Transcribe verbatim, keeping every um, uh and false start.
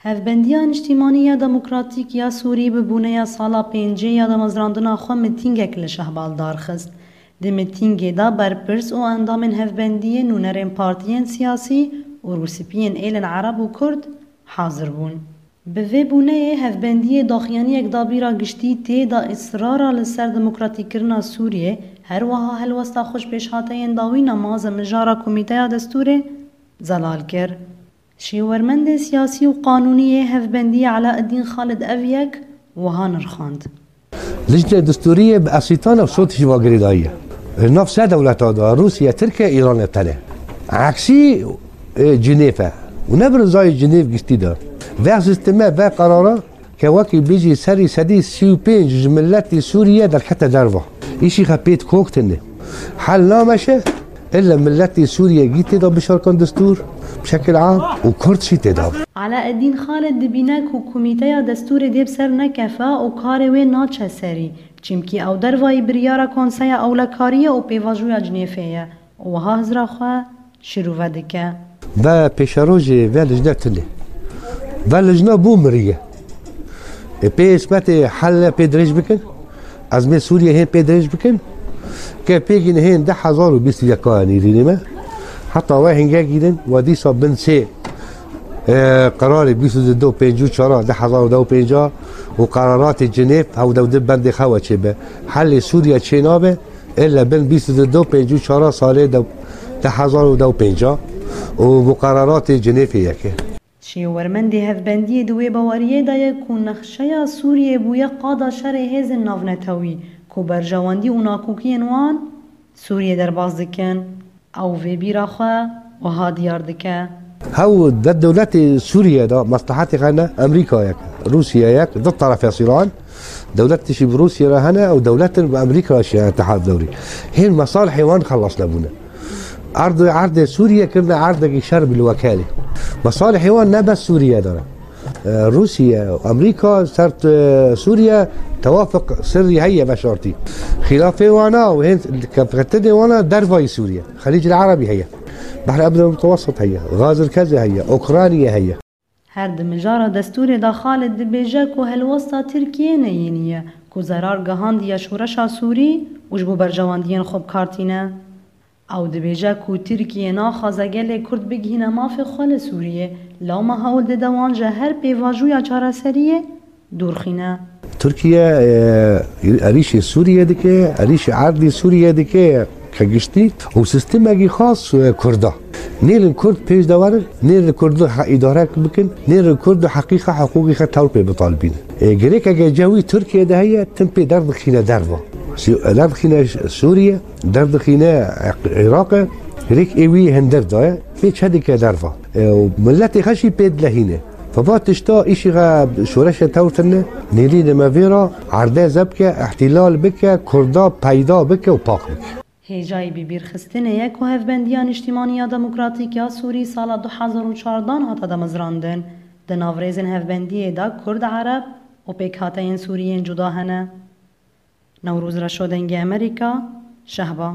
Hevbendiya Niştîmanî ya Demokratîk ya Sûrî bi bûneya sala pêncê ya damezrandina xwe mitîngek li Şehbal darxist. Di mitîngê de berpirs û endamên hevbendiyê, nûnerên partiyên siyasî û rûspiyên êlên Ereb û Kurd hazir bûn. Bi vê bûneyê hevbendiyê daxuyaniyek dabîra giştî tê de israra li ser demokratîkirina Sûriyê, her wiha helwesta xwe ji pêşhateyên dawî nemaze mijara Komîteya Destûrê zelal kir. Şêwermendê siyasî û qanûnî yê hevbendiyê Elaeddîn Xalid ev yek wiha nirxand. Lijnê destûrî yê bi esîtana û sotî jî va girêdayî ye. Li nav sê dewleta de, Rûsya, Tirkiye, Îran e tenê. Eksî, e, Cinêv e. Û ne bi rizayê Cinêv giştî de. Ve sîsteme, ve qerara ke wekî bijî serî sedî sî û pênc ji miletî Sûriye derkete derva. Îşî xe pêt kok tine. Hel nameşe, illa miletî Sûriye gî tê de bişarkan destûr, bi şekil am û Kurd jî tê de. Elaeddîn Xalid dibîne ku Komîteya Destûrê dê bi ser nekefe û karê wê naçe serî, çimkî ew dervayî biryara Konseya Ewlekariyê û Pêvajoya Cinêfê ye û wiha hizra xwe şirove dike. Ve pêşerojê ve lijne tune. Ve lijna bû miriye. Ê pê hizmetê helle pê dirêj bikin. Ezmê Sûriye hên pê dirêj bikin. Ke pê gîne hên du hezar û bîst û yek nîrînê me. Heta we hingek gînin, we dîsa bin sê, e, qerarê bîst û du pêncî û çar du hezar û deh û pênc û qeraratê Cinêv hewdeh û du bendê xewe çêbe. Helê Sûriye çênabe, illa bin bîst û du pêncî û çar salê de, du hezar û deh û pênc û muqereratê Cinêfê yeke. Şêwermendê hevbendiyê di wê baweriyê de ye ku nexşeya Sûriyê bûye qada şerê hêzên navnetewî ku berjewendî û nakokiyên wan Sûriyê derbas dikin. Ew vê bîra xwe wiha diyar dike. Hew de dewletê Sûriye de meslehetê xwe ne Amerîka yek, Rûsya yek, du terefê Îran, dewlet tişî bi Rûsya re hene û dewletin bi Amerîka re şiye îtihad dewrî. Hên mesalihê wan xelas nebûne. Erd, erdê Sûriye kirine erdekî şer bilwekelî. Mesalihê wan ne bes Sûriye de ne. E, Rûsiye, Amerîka ser, e, Sûriye tewafiq sirrî heye veşartî. Xîlafê wana û hên kevketinê wana dervayî Sûriye. Xelîcil Erebî heye. Behr Ebdel Mutewessit heye. Gazirkezê heye. Ukrayna heye. Her di mijara destûrê de Xalid dibêje ku helwesta Tirkiyê ne yênî ye, ku zerar gihandiye şoreşa Sûrî û ji bo berjewendiyên xwe bi kar tîne. Ew dibêje ku Tirkiye naxwaze gelê Kurd bigihîne mafê xwe li Sûriyê, lewma hewl dide wan ji her pêvajoya çareseriyê dûr xîne. Tirkiye, e, êrîşê Sûriye dike, êrîşê erdî Sûriye dike, ke giştî û sîstemekî xas, e, Kurda. Nêlin Kurd pêş de werin, nêlin Kurd he-, îdare bikin, nêlin Kurd heqîqa hiqûqî xe tewr pê bitalibînin. E, girêkeke cewî Tirkiye de heye, tim pê derdixîne derva. Sî-, derdixîne Sûriye, derdixîne Iraqê, rêk ê wî hindir daye, pê çe dike derva. E, û miletê xwe jî pê dilehîne. Feva tişta îşî xe şoreşe tewr tine, nêrîne me vê re, erde zebke, îhtîlal bike, Kurda peyda bike û pak bike. Hêjayî bibîrxistinê ye ku Hevbendiya Niştîmanî ya Demokratîk ya Sûrî sala du hezar û çardan hate damezrandin. Di nav rêzên hevbendiyê de Kurd, Ereb û pêkhateyên Sûrî yên cuda hene. Newroz Reşo, Dengê Amerîka, Şehba.